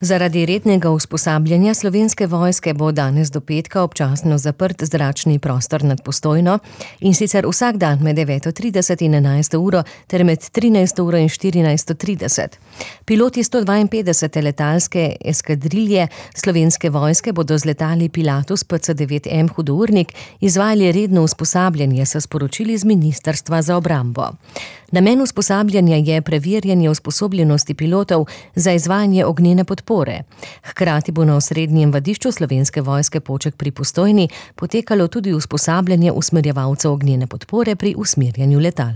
Zaradi rednega usposabljanja Slovenske vojske bo danes do petka občasno zaprt zračni prostor nad Postojno, in sicer vsak dan med 9:30 in 11. uro ter med 13. uro in 14:30. Piloti 152. letalske eskadrilje Slovenske vojske bodo z letali Pilatus PC-9M hudournik izvajali redno usposabljanje, so sporočili z Ministrstva za obrambo. Namen usposabljanja je preverjanje usposobljenosti pilotov za izvajanje ognjene podpore. Hkrati bo na osrednjem vadišču Slovenske vojske Poček pri Postojni potekalo tudi usposabljanje usmerjevalcev ognjene podpore pri usmerjanju letal.